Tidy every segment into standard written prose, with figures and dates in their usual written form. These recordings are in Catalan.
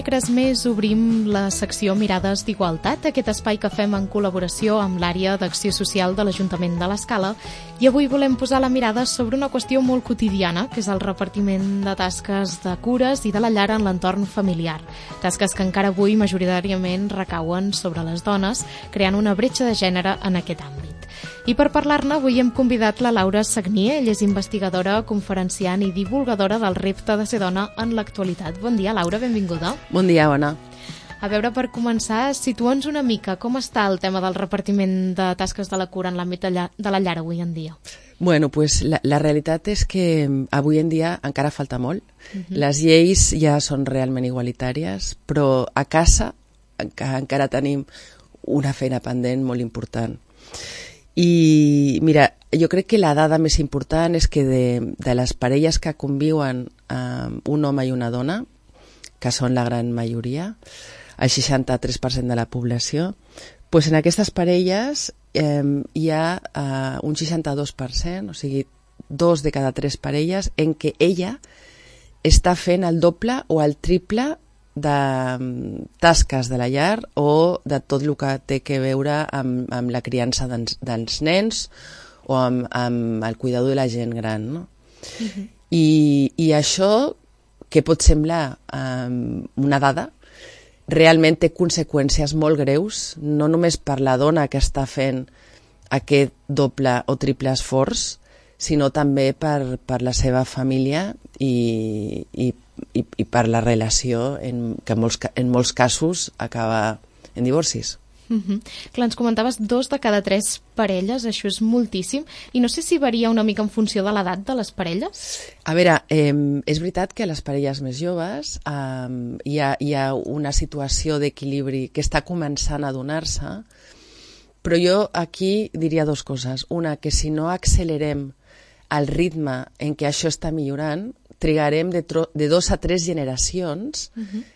dimecres més obrim la secció Mirades d'Igualtat, aquest espai que fem en col·laboració amb l'àrea d'Acció Social de l'Ajuntament de l'Escala, i avui volem posar la mirada sobre una qüestió molt quotidiana, que és el repartiment de tasques de cures i de la llar en l'entorn familiar. Tasques que encara avui majoritàriament recauen sobre les dones, creant una bretxa de gènere en aquest àmbit. I per parlar-ne avui hem convidat la Laura Sagnier. Ella és investigadora, conferenciant i divulgadora del repte de ser dona en l'actualitat. Bon dia, Laura, benvinguda. Bon dia, Ona. A veure, per començar, situa'ns una mica com està el tema del repartiment de tasques de la cura en l'àmbit de la llar avui en dia. Bueno, pues la realitat és que avui en dia encara falta molt. Les lleis ja són realment igualitàries, però a casa encara tenim una feina pendent molt important. I mira, jo crec que la dada més important és que de les parelles que conviuen un home i una dona, que són la gran majoria, el 63% de la població, doncs en aquestes parelles hi ha un 62%, o sigui, 2 de cada 3 parelles, en què ella està fent el doble o el triple de tasques de la llar o de tot el que té que veure amb la criança dels nens o amb el cuidador de la gent gran, no? I això, que pot semblar una dada, realment té conseqüències molt greus, no només per la dona que està fent aquest doble o triple esforç, sinó també per la seva família i per la relació que en molts casos acaba en divorcis. Clar, ens comentaves 2 de cada 3 parelles, això és moltíssim, i no sé si varia una mica en funció de l'edat de les parelles? A veure, és veritat que a les parelles més joves hi ha una situació d'equilibri que està començant a donar-se, però jo aquí diria 2 coses. Una, que si no accelerem el ritme en què això està millorant, trigarem de 2 a 3 generacions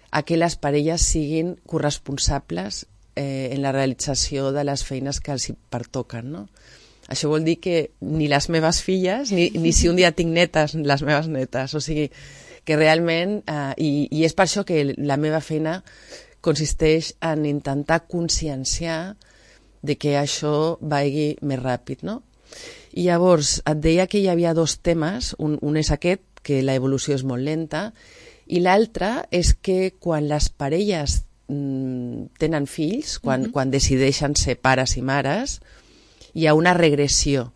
a que les parelles siguin corresponsables en la realització de les feines que els hi pertoquen, no? Això vol dir que ni les meves filles, ni si un dia tinc netes, les meves netes. O sigui, que realment, i és per això que la meva feina consisteix en intentar conscienciar de que això vagi més ràpid, no? I llavors, et deia que hi havia 2 temes, un és aquest, que la evolució és molt lenta, i l'altre és que quan les parelles tenen fills, quan decideixen ser pares i mares, hi ha una regressió.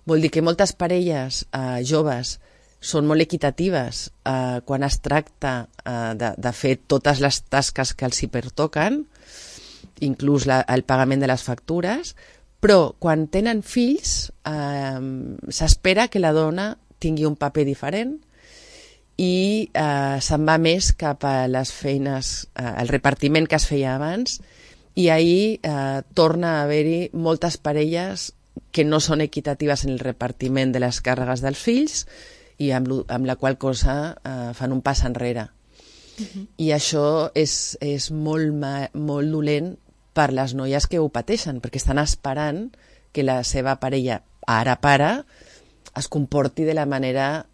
Vol dir que moltes parelles joves són molt equitatives quan es tracta de fer totes les tasques que els hi pertoquen, inclús el pagament de les factures, però quan tenen fills s'espera que la dona tingui un paper diferent i se'n va més cap a les feines, el repartiment que es feia abans, i ahir torna a haver-hi moltes parelles que no són equitatives en el repartiment de les càrregues dels fills i amb la qual cosa fan un pas enrere. I això és molt dolent per les noies que ho pateixen, perquè estan esperant que la seva parella, ara pare, es comporti de la manera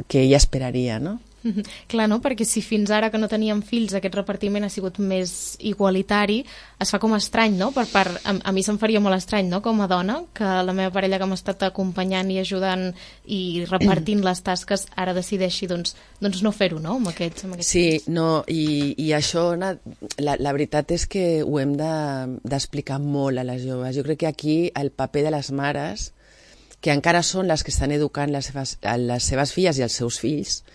que ella esperaria, no? Clar, no? Perquè si fins ara que no teníem fills aquest repartiment ha sigut més igualitari, es fa com estrany, no? A mi se'm faria molt estrany, no? Com a dona, que la meva parella que m'ha estat acompanyant i ajudant i repartint les tasques ara decideixi doncs no fer-ho, no? Amb aquests sí, no, i això, la veritat és que ho hem d'explicar molt a les joves. Jo crec que aquí el paper de les mares, que encara són les que estan educant les seves filles i els seus fills,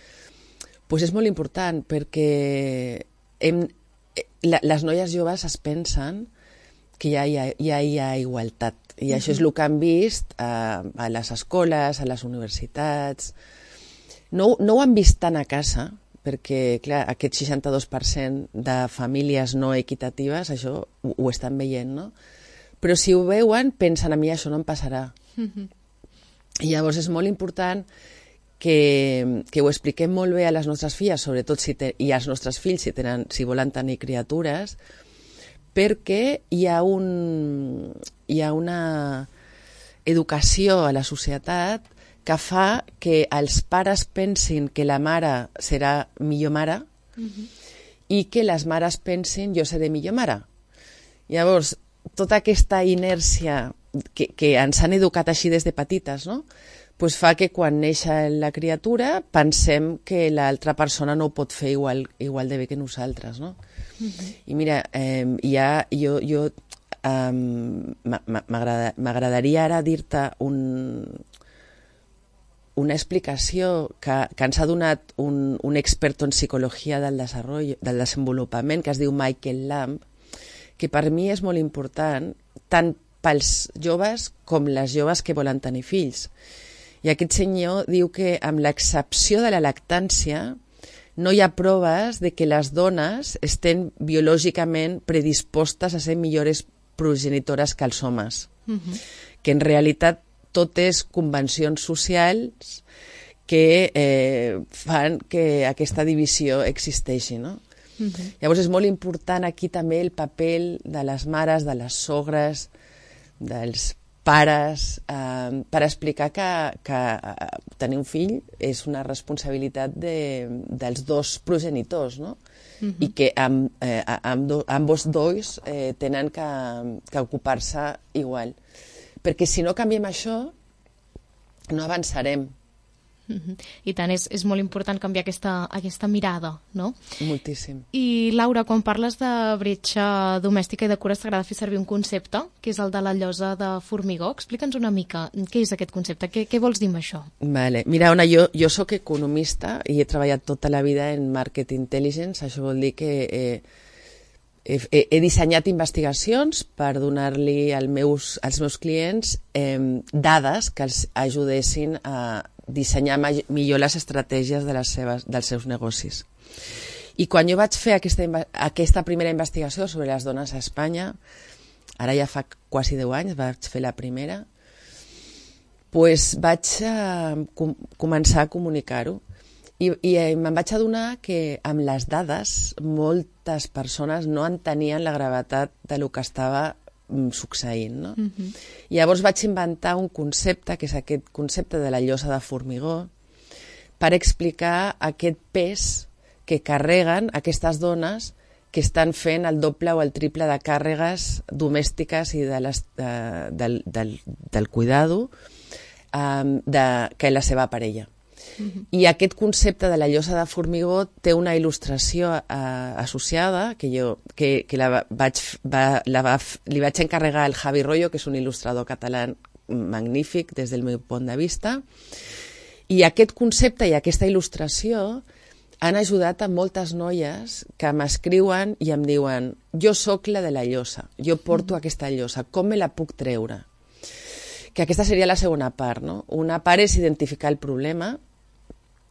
doncs és molt important, perquè les noies joves es pensen que ja hi ha igualtat, i això és el que han vist a les escoles, a les universitats. No ho han vist tant a casa, perquè clar, aquest 62% de famílies no equitatives, això ho estan veient, no? Però si ho veuen, pensen, a mi això no em passarà. I llavors és molt important que ho expliquem molt bé a les nostres filles, sobretot i als nostres fills si volen tenir criatures, perquè hi ha una educació a la societat que fa que els pares pensin que la mare serà millor mare i que les mares pensin jo seré millor mare. Llavors, tota aquesta inèrcia que ens han educat així des de petites, no? Pues fa que quan neix la criatura pensem que l'altra persona no ho pot fer igual de bé que nosaltres, no? I mira, m'agradaria ara dir-te una explicació que ens ha donat un expert en psicologia del desenvolupament, que es diu Michael Lamb, que per mi és molt important, tant pels joves com les joves que volen tenir fills. I aquest senyor diu que, amb l'excepció de la lactància, no hi ha proves de que les dones estem biològicament predispostes a ser millors progenitores que els homes. Que en realitat tot és convencions socials que fan que aquesta divisió existeixi, no? Llavors és molt important aquí també el paper de les mares, de les sogres, dels pares, per explicar que tenir un fill és una responsabilitat dels dos progenitors, no? I que ambos dos tenen que ocupar-se igual. Perquè si no canviem això, no avançarem. I tant, és molt important canviar aquesta mirada, no? Moltíssim. I Laura, quan parles de bretxa domèstica i de cures, t'agrada fer servir un concepte, que és el de la llosa de formigó. Explica'ns una mica què és aquest concepte, què vols dir amb això? Vale. Mira, Ona, jo soc economista i he treballat tota la vida en market intelligence. Això vol dir que he dissenyat investigacions per donar-li als meus clients dades que els ajudessin a dissenyar millor les estratègies dels seus negocis. I quan jo vaig fer aquesta primera investigació sobre les dones a Espanya, ara ja fa quasi 10 anys, vaig fer la primera, doncs vaig començar a comunicar-ho. I me'n vaig adonar que amb les dades moltes persones no entenien la gravetat del que estava succeint, no? Llavors vaig inventar un concepte, que és aquest concepte de la llosa de formigó, per explicar aquest pes que carreguen aquestes dones que estan fent el doble o el triple de càrregues domèstiques i del cuidado que la seva parella. I aquest concepte de la llosa de formigó té una il·lustració associada que li vaig encarregar al Javi Royo, que és un il·lustrador català magnífic des del meu punt de vista, i aquest concepte i aquesta il·lustració han ajudat a moltes noies que m'escriuen i em diuen: jo sóc la de la llosa, jo porto aquesta llosa, com me la puc treure? Que aquesta seria la segona part, no? Una part és identificar el problema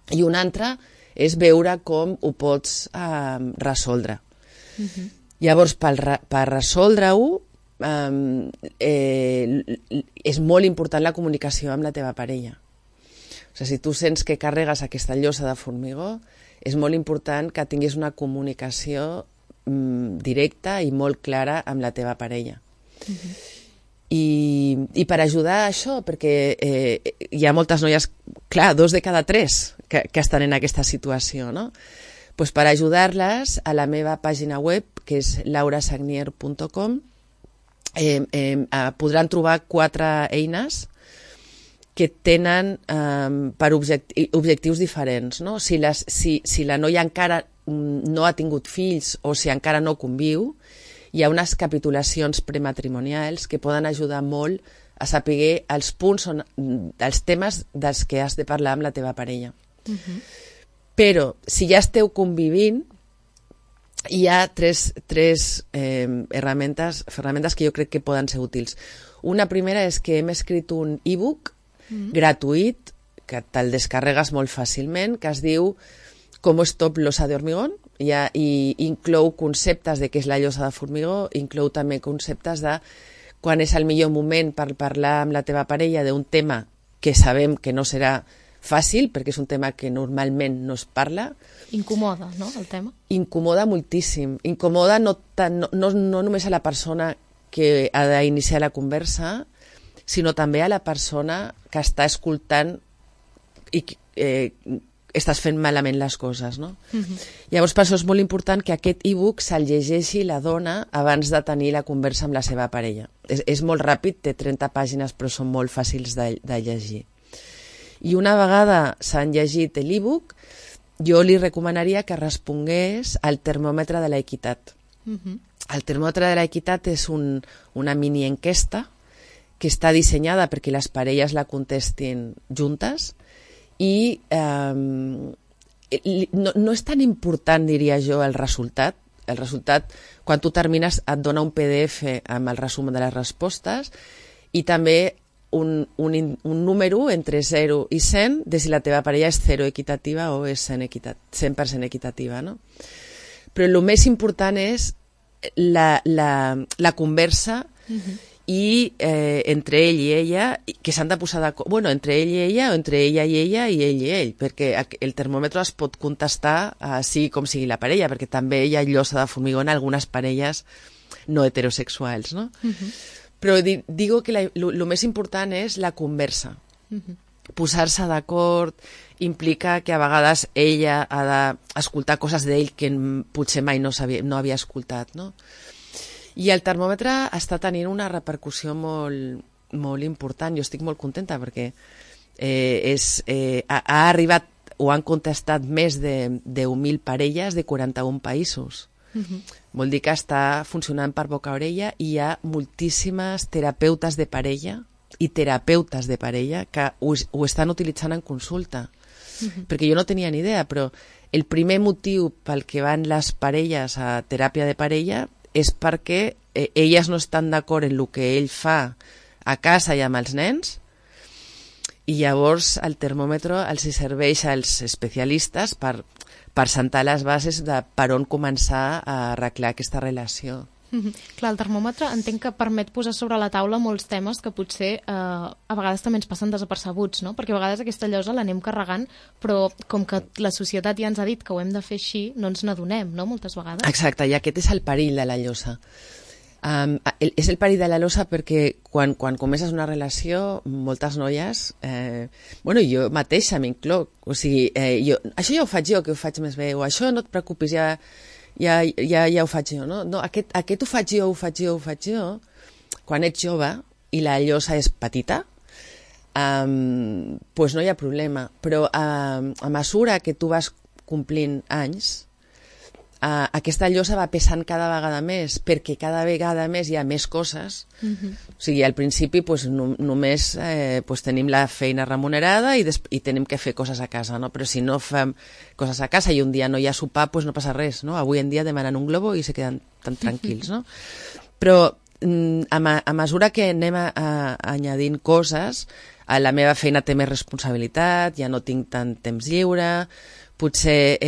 i una altra és veure com ho pots resoldre. Llavors, per resoldre-ho, és molt important la comunicació amb la teva parella. O sigui, si tu sents que carregues aquesta llosa de formigó, és molt important que tinguis una comunicació directa i molt clara amb la teva parella. I per ajudar a això, perquè hi ha moltes noies, clar, 2 de cada 3 que estan en aquesta situació, no? Pues per ajudar-les, a la meva pàgina web, que és laurasagnier.com, podran trobar 4 eines que tenen per objectius diferents, no? Si la noia encara no ha tingut fills o si encara no conviu, hi ha unes capitulacions prematrimonials que poden ajudar molt a saber els punts, els temes dels que has de parlar amb la teva parella. Però si ja esteu convivint, hi ha tres ferramentes que jo crec que poden ser útils. Una primera és que hem escrit un e-book gratuït, que te'l descarregues molt fàcilment, que es diu Com stop losa de hormigón, i inclou conceptes de què és la llosa de formigó, inclou també conceptes de quan és el millor moment per parlar amb la teva parella d'un tema que sabem que no serà fàcil, perquè és un tema que normalment no es parla. Incomoda, no, el tema? Incomoda moltíssim. Incomoda no només a la persona que ha d'iniciar la conversa, sinó també a la persona que està escoltant i estàs fent malament les coses, no? Llavors, per això és molt important que aquest e-book se'l llegeixi la dona abans de tenir la conversa amb la seva parella. És molt ràpid, té 30 pàgines, però són molt fàcils de llegir. I una vegada s'han llegit l'e-book, jo li recomanaria que respongués al termòmetre de l'equitat. El termòmetre de l'equitat és una mini enquesta que està dissenyada perquè les parelles la contestin juntes i no és tan important, diria jo, el resultat. El resultat, quan tu termines, et dona un PDF amb el resum de les respostes i també un número entre 0 i 100 de si la teva parella és 0 equitativa o és 100% equitativa, no? Però el més important és la conversa i entre ell i ella, que s'han de posar d'acord, bueno, entre ell i ella, o entre ella i ella i ell i ell, perquè el termòmetre es pot contestar sigui com sigui la parella, perquè també hi ha llosa de formigó en algunes parelles no heterosexuals, no? Però digo que el més important és la conversa. Posar-se d'acord implica que a vegades ella ha d'escoltar coses d'ell que potser mai no havia escoltat, no? I el termòmetre està tenint una repercussió molt important. Jo estic molt contenta perquè ha arribat o han contestat més de 10.000 parelles de 41 països. Vol dir que està funcionant per boca-orella i hi ha moltíssimes terapeutes de parella que ho estan utilitzant en consulta. Perquè jo no tenia ni idea, però el primer motiu pel que van les parelles a teràpia de parella és perquè elles no estan d'acord en el que ell fa a casa i amb els nens, i llavors el termòmetre els serveix als especialistes per sentar les bases de per on començar a arreglar aquesta relació. Clar, el termòmetre entenc que permet posar sobre la taula molts temes que potser a vegades també ens passen desapercebuts, no? Perquè a vegades aquesta llosa l'anem carregant, però com que la societat ja ens ha dit que ho hem de fer així, no ens n'adonem, no?, moltes vegades. Exacte, i aquest és el perill de la llosa. És el perill de la llosa perquè quan comences una relació, moltes noies, jo mateixa m'incloc, o sigui, això ja ho faig jo, que ho faig més bé, o això no et preocupis, ja ho faig jo, no? No, aquest ho faig jo. Quan ets jove i la llosa és petita, doncs no hi ha problema. Però a mesura que tu vas complint anys, aquesta llosa va pesant cada vegada més, perquè cada vegada més hi ha més coses. O sigui, al principi només tenim la feina remunerada i tenim que fer coses a casa, no? Però si no fem coses a casa i un dia no hi ha sopar, no passa res, no? Avui en dia demanen un globo i se queden tan tranquils, no? Però a mesura que anem añadint coses, la meva feina té més responsabilitat, ja no tinc tant temps lliure, potser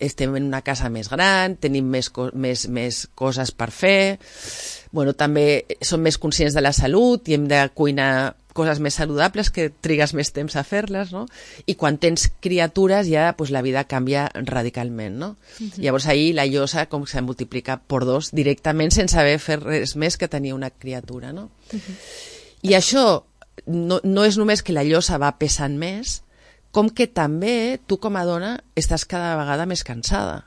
estem en una casa més gran, tenim més coses per fer, també som més conscients de la salut i hem de cuinar coses més saludables que trigues més temps a fer-les, no? I quan tens criatures ja la vida canvia radicalment, no? Llavors ahir la llosa com se multiplica per 2 directament sense haver fet res més que tenir una criatura, no? I això no és només que la llosa va pesant més, com que també tu com a dona estàs cada vegada més cansada.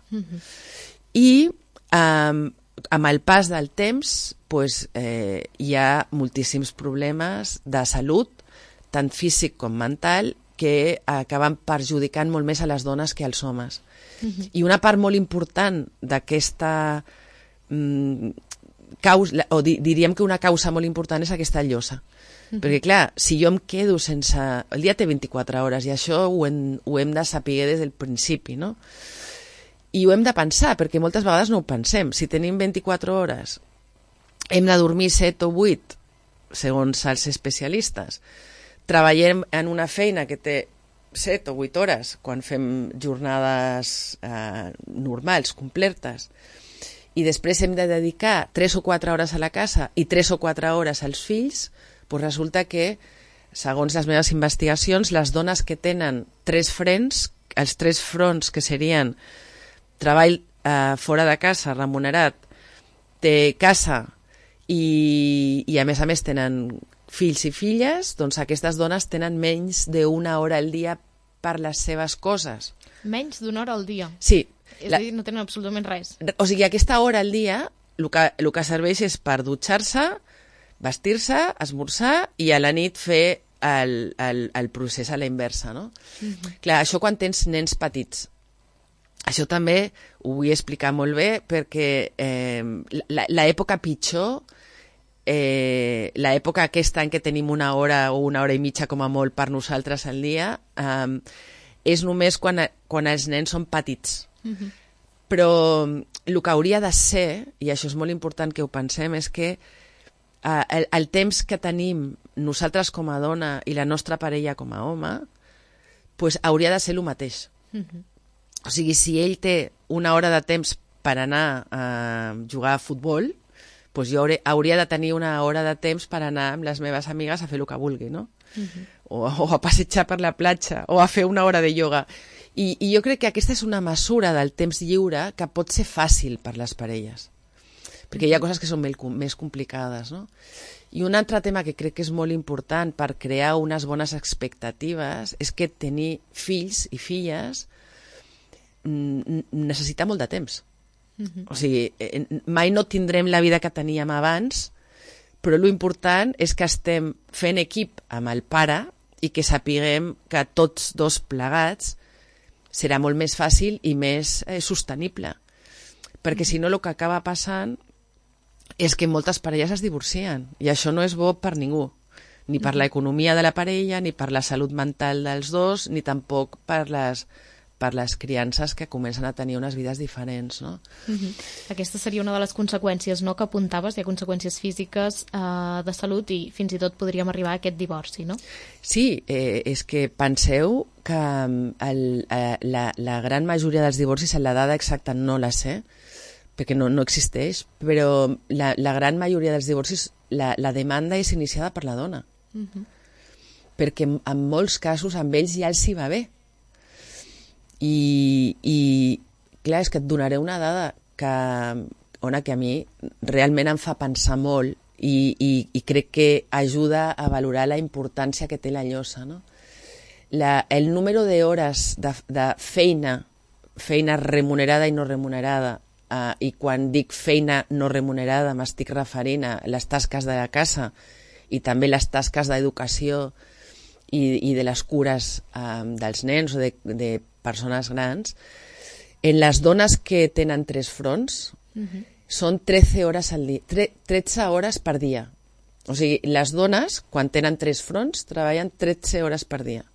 I amb el pas del temps hi ha moltíssims problemes de salut, tant físic com mental, que acaben perjudicant molt més a les dones que als homes. I una part molt important d'aquesta causa, o diríem que una causa molt important és aquesta llosa. Perquè clar, si jo em quedo sense... El dia té 24 hores i això ho hem de saber des del principi, no? I ho hem de pensar, perquè moltes vegades no ho pensem. Si tenim 24 hores, hem de dormir 7 o 8, segons els especialistes. Treballem en una feina que té 7 o 8 hores quan fem jornades normals, completes, i després hem de dedicar 3 o 4 hores a la casa i 3 o 4 hores als fills, doncs resulta que, segons les meves investigacions, les dones que tenen 3 frents, els 3 fronts que serien treball fora de casa, remunerat, té casa i a més tenen fills i filles, doncs aquestes dones tenen menys d'una hora al dia per les seves coses. Menys d'una hora al dia. Sí. És a dir, no tenen absolutament res. O sigui, aquesta hora al dia el que serveix és per dutxar-se, vestir-se, esmorzar i a la nit fer el procés a la inversa, no? Clar, això quan tens nens petits. Això també ho vull explicar molt bé perquè l'època pitjor, l'època aquesta en què tenim una hora o una hora i mitja com a molt per nosaltres al dia, és només quan els nens són petits. Però el que hauria de ser, i això és molt important que ho pensem, és que el temps que tenim nosaltres com a dona i la nostra parella com a home, pues, hauria de ser el mateix. O sigui, si ell té una hora de temps per anar a jugar a futbol, pues jo hauria de tenir una hora de temps per anar amb les meves amigues a fer el que vulgui, no? O a passejar per la platja, o a fer una hora de ioga. I jo crec que aquesta és una mesura del temps lliure que pot ser fàcil per les parelles, perquè hi ha coses que són més complicades, no? I un altre tema que crec que és molt important per crear unes bones expectatives és que tenir fills i filles necessita molt de temps. O sigui, mai no tindrem la vida que teníem abans, però l'important és que estem fent equip amb el pare i que sapiguem que tots dos plegats serà molt més fàcil i més sostenible. Perquè si no el que acaba passant és que moltes parelles es divorcien i això no és bo per ningú, ni per l'economia de la parella, ni per la salut mental dels dos, ni tampoc per les criances que comencen a tenir unes vides diferents, no? Aquesta seria una de les conseqüències, no?, que apuntaves. Hi ha conseqüències físiques, de salut, i fins i tot podríem arribar a aquest divorci, no? Sí, és que penseu que la gran majoria dels divorcis, la dada exacta no la sé, perquè no existeix, però la gran majoria dels divorcis, la demanda és iniciada per la dona. Perquè en molts casos amb ells ja els hi va bé. I clar, és que et donaré una dada que a mi realment em fa pensar molt i crec que ajuda a valorar la importància que té la llosa, no? El número d'hores de feina remunerada i no remunerada, i quan dic feina no remunerada m'estic referint a les tasques de la casa i també les tasques d'educació i de les cures dels nens o de persones grans, en les dones que tenen 3 fronts són 13 hores per dia. O sigui, les dones, quan tenen 3 fronts, treballen 13 hores per dia.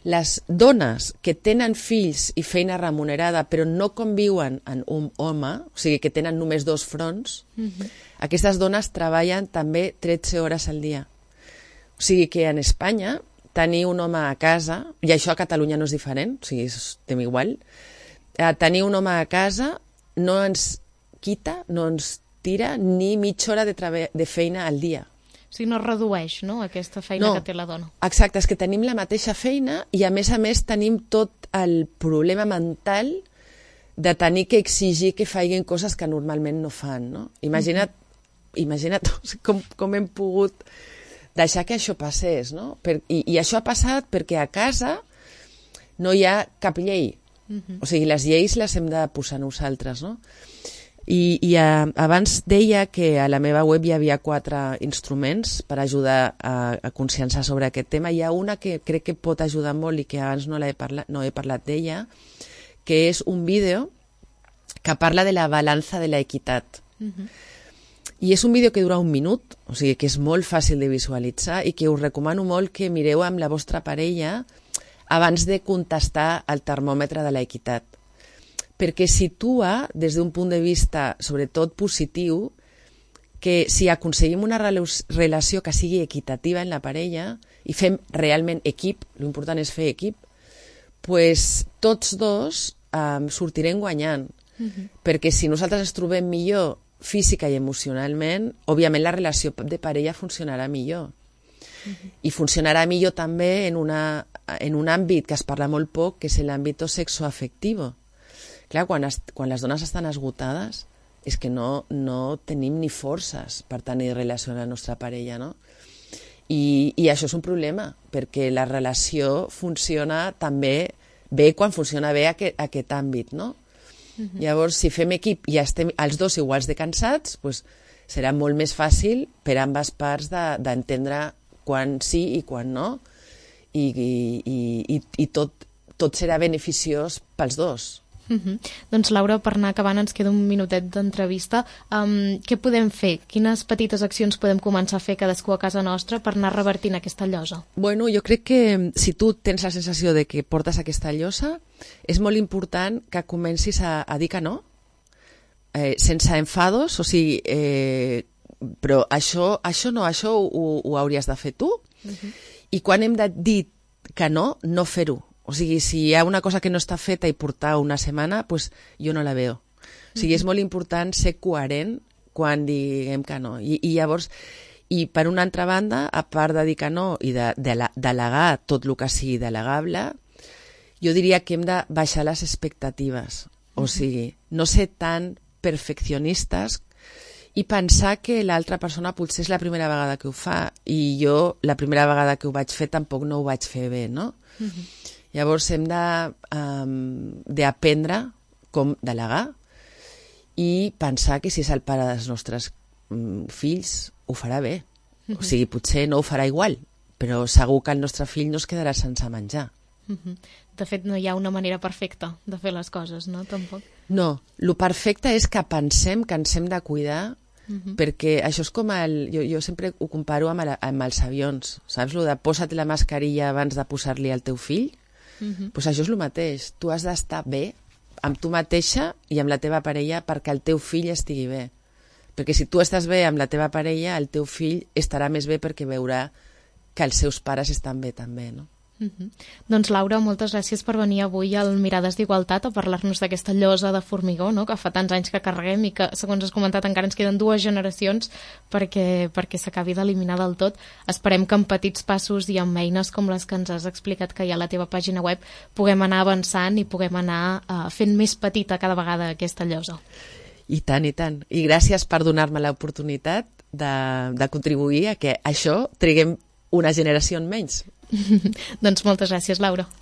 Les dones que tenen fills i feina remunerada però no conviuen amb un home, o sigui, que tenen només 2 fronts, aquestes dones treballen també 13 hores al dia. O sigui que en Espanya tenir un home a casa, i això a Catalunya no és diferent, o sigui, estem igual, tenir un home a casa no ens quita, no ens tira ni mitja hora de feina al dia. O sigui, no redueix, no?, aquesta feina que té la dona. Exacte, és que tenim la mateixa feina i a més tenim tot el problema mental de tenir que exigir que facin coses que normalment no fan, no? Imagina't com hem pogut deixar que això passés, no? I això ha passat perquè a casa no hi ha cap llei. O sigui, les lleis les hem de posar nosaltres, no? I abans deia que a la meva web hi havia 4 instruments per ajudar a conscienciar sobre aquest tema. Hi ha una que crec que pot ajudar molt i que abans no he parlat d'ella, que és un vídeo que parla de la balança de l'equitat. I és un vídeo que dura 1 minut, o sigui que és molt fàcil de visualitzar i que us recomano molt que mireu amb la vostra parella abans de contestar al termòmetre de l'equitat. Perquè situa, des d'un punt de vista sobretot positiu, que si aconseguim una relació que sigui equitativa en la parella i fem realment equip, l'important és fer equip, pues tots dos sortirem guanyant. Perquè si nosaltres ens trobem millor física i emocionalment, òbviament la relació de parella funcionarà millor. I funcionarà millor també en un àmbit que es parla molt poc, que és l'àmbit sexoafectiu. Clar, quan les dones estan esgotades és que no tenim ni forces per tenir relació amb la nostra parella, no? I això és un problema, perquè la relació funciona també bé quan funciona bé aquest àmbit, no? Llavors, si fem equip i estem els dos iguals de cansats, doncs serà molt més fàcil per ambes parts d'entendre quan sí i quan no, i tot serà beneficiós pels dos. Doncs Laura, per anar acabant, ens queda un minutet d'entrevista. Què podem fer? Quines petites accions podem començar a fer cadascú a casa nostra per anar revertint aquesta llosa? Bueno, jo crec que si tu tens la sensació de que portes aquesta llosa, és molt important que comencis a dir que no, sense enfados, o sigui, però això ho hauries de fer tu, i quan hem de dir que no fer-ho. O sigui, si hi ha una cosa que no està feta i portar una setmana, doncs jo no la veo. O sigui, és molt important ser coherent quan diguem que no. I llavors, i per una altra banda, a part de dir que no i de delegar tot el que sigui delegable, jo diria que hem de baixar les expectatives. O sigui, no ser tan perfeccionistes i pensar que l'altra persona potser és la primera vegada que ho fa i jo la primera vegada que ho vaig fer tampoc no ho vaig fer bé, no? Llavors hem d'aprendre com delegar i pensar que si és el pare dels nostres fills ho farà bé. O sigui, potser no ho farà igual, però segur que el nostre fill no es quedarà sense menjar. De fet, no hi ha una manera perfecta de fer les coses, no? Tampoc. No, el perfecte és que pensem que ens hem de cuidar, perquè això és com jo sempre ho comparo amb els avions, saps? Lo de posa't la mascarilla abans de posar-li al teu fill, doncs això és el mateix. Tu has d'estar bé amb tu mateixa i amb la teva parella perquè el teu fill estigui bé. Perquè si tu estàs bé amb la teva parella, el teu fill estarà més bé perquè veurà que els seus pares estan bé també, no? Doncs Laura, moltes gràcies per venir avui al Mirades d'Igualtat a parlar-nos d'aquesta llosa de formigó, no? Que fa tants anys que carreguem i que, segons has comentat, encara ens queden 2 generacions perquè s'acabi d'eliminar del tot. Esperem que amb petits passos i amb eines com les que ens has explicat que hi ha a la teva pàgina web puguem anar avançant i puguem anar fent més petita cada vegada aquesta llosa. I tant, i tant. I gràcies per donar-me l'oportunitat de contribuir a que això triguem una generació en menys. Doncs moltes gràcies, Laura.